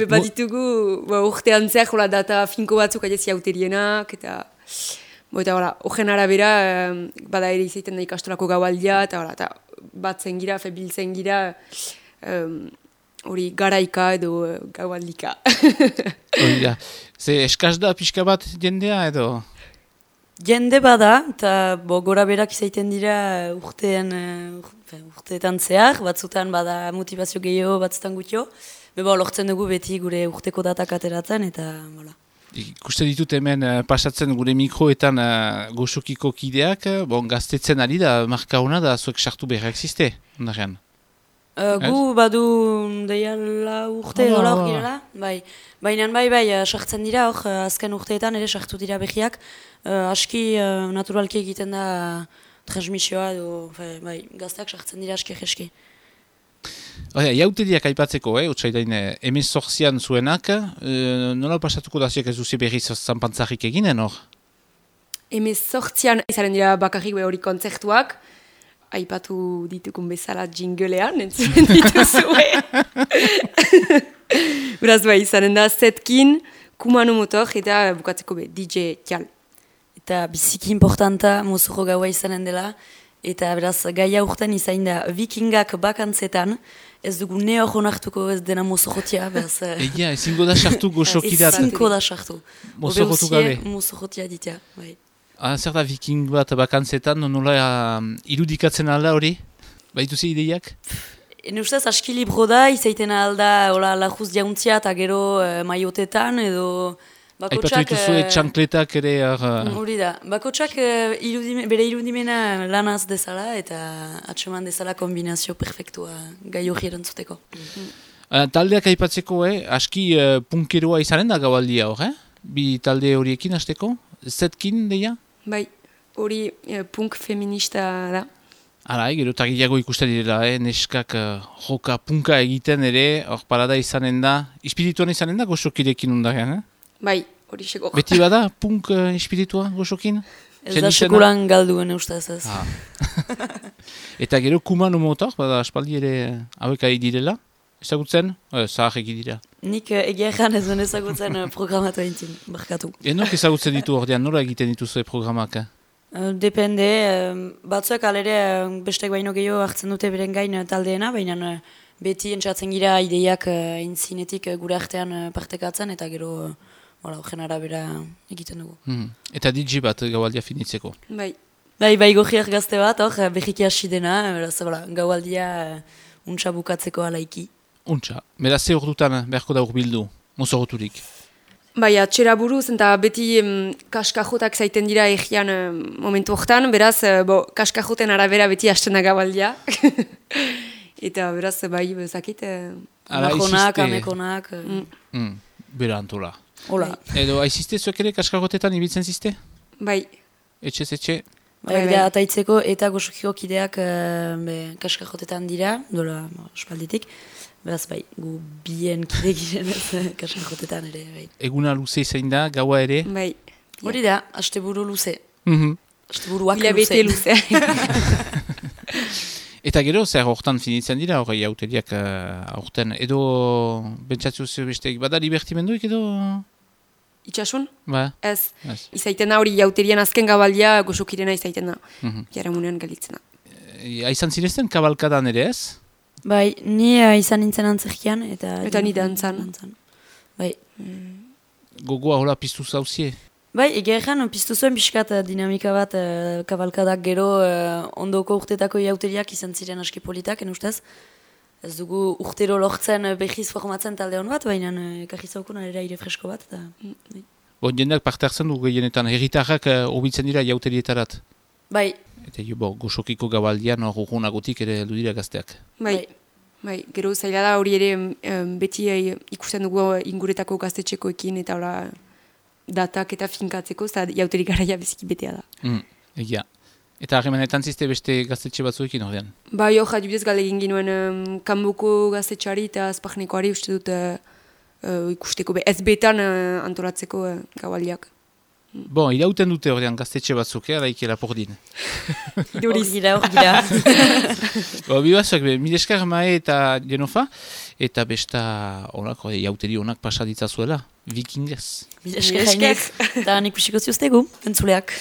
Baditugu, urtean zer, data finko batzuk adiezi hauterienak, eta horren arabera, bada ere izaiten da ikastolako gaualdia, eta batzen gira, biltzen gira, hori garaika edo gaualdika. Ze eskaz da pixka bat jendea edo? Jende bada, eta gora berak izaiten dira urteetan zehar, batzutan bada motivazio gehiago, batzutan gutio. Lortzen dugu beti gure urteko datak ateratzen, eta bola. Ikuste ditut hemen pasatzen gure mikroetan goxokiko kideak, gaztetzen ari da, marka hona da, zuek sartu behar existe, ondarean? Gu badu deiala urte dola hor girela, bai. Baina sartzen dira hor, azken urteetan ere sartu dira behiak, aski naturalki egiten da transmisioa edo, gazteak sartzen dira aski jeski. Jauteriak aipatzeko, otsaidain emezortzian zuenak, nola pasatuko da ziak ez duzi berriz zanpantzarik eginen hor? Emezortzian izaren dira bakarrik hori kontzertuak, aipatu ditukun bezala jinglean, entzuen dituzue. Beraz izaren da zetkin, kumano motor eta bukatzeko DJ Tial. Eta biziki importanta mozuro gaua izanen dela, eta beraz gaia urten izain da vikingak bakantzetan, ez dugu ne hor honartuko ez dena mozorotia. Egia, ezingo da sartu goxokidat. Ezingo da sartu. Mozorotu gabe. Mozorotia ditea, bai. Zer da viking bat bakantzetan, nola irudikatzen alda hori? Baituzi ideiak? Ene ustez aski libro da, izaiten alda lajuz jauntzia eta gero maiotetan edo bakotsak... Aipatu dituzue txankletak ere... Hori da, bakotsak bere irudimena lanaz dezala eta atseman dezala kombinazio perfektua gai hori erantzuteko. Taldeak aipatzeko, aski punkeroa izanen da gaualdia hor, Bi talde horiekin hasteko? Zetkin deia? Bai, hori punk feminista da. Hala, gero tagiago ikusten direla, neskak joka punka egiten ere, hor parada izanen da, espirituan izanen da goxokirekin undarean, Bai, hori seko. Beti bada punk espiritua goxokin? Ez da sekulan galduen eustaz ez. Eta gero kumano motor, bada aspaldi ere hauek ari direla, ezagutzen? Zahar egi dira. Nik egia egan ez den ezagutzen programatu entzin, barkatu. Enok ezagutzen ditu ordean, nola egiten dituzue programak? Depende, batzuek alere bestek baino gehiago hartzen dute beren gain taldeena, baina beti entzatzen gira ideiak intzinetik gure artean partekatzen, eta gero horren arabera egiten dugu. Eta DJ bat gaualdia finitzeko? Bai. Bai gogiak gazte bat, behiki hasi dena, gaualdia untsa bukatzeko alaiki. Untsa, beraz ze ordutan beharko da urbildu, mozoroturik? Bai, atxera buruz, eta beti kaskajotak zaiten dira egian momentu hortan, beraz, kaskajoten arabera beti hastena gaualdia. Eta beraz, bai, bezakit, amakonak, amekonak. Bera antola. Hola. Edo, aizizte zuek ere kaskajotetan ibiltzen zizte? Bai. Etxe? Bai, ataitzeko eta goxokiko kideak kaskajotetan dira, dola, espalditik. Beraz, bai, gu bien kide giren ez kaskajotetan ere, bai. Eguna luze zein da, gaua ere? Bai. Hori da, asteburu luze. Asteburuak luze. Luze. Eta gero, zer hortan finitzen dira, hori auteriak aurten, edo bentsatzu besteik, bada libertimenduik edo? Itxasun? Ba? Ez. Izaiten da hori jauterian azken gabaldia goxokirena izaiten da. Jaramunean galitzen da. Aizan zirezten kabalkadan ere ez? Bai, ni izan nintzen antzerkian eta ni dantzan. Bai. Gogoa hola piztu zauzie? Bai, egeran piztu zuen pixkat dinamika bat kabalkadak gero ondoko urtetako jauteriak izan ziren aski politak, ustez. Ez dugu urtero lortzen behiz formatzen talde hon bat, baina ekarri zaukun ere aire fresko bat. Jendeak parte hartzen du gehienetan, herritarrak hobitzen dira jauterietarat? Bai. Eta goxokiko gabaldian urgunagotik ere heldu dira gazteak. Bai, gero zaila da hori ere beti ikusten dugu inguretako gaztetxekoekin eta datak eta finkatzeko, eta jauterik garaia beziki betea da. Egia. Eta harremanetan zizte beste gaztetxe batzuekin ordean? Bai, hor, adibidez galegin ginuen kanboko gaztetxari eta azpagnekoari uste dut ikusteko ez betan antolatzeko gaualdiak. Bon, irauten dute horrean gaztetxe batzuk, araiki lapordin. Hor gira. Bibazuak, mil esker Mae eta Jenofa, eta besta jauteri onak pasaditza zuela, vikingez. Mil esker, eta nik usiko ziuztegu, entzuleak.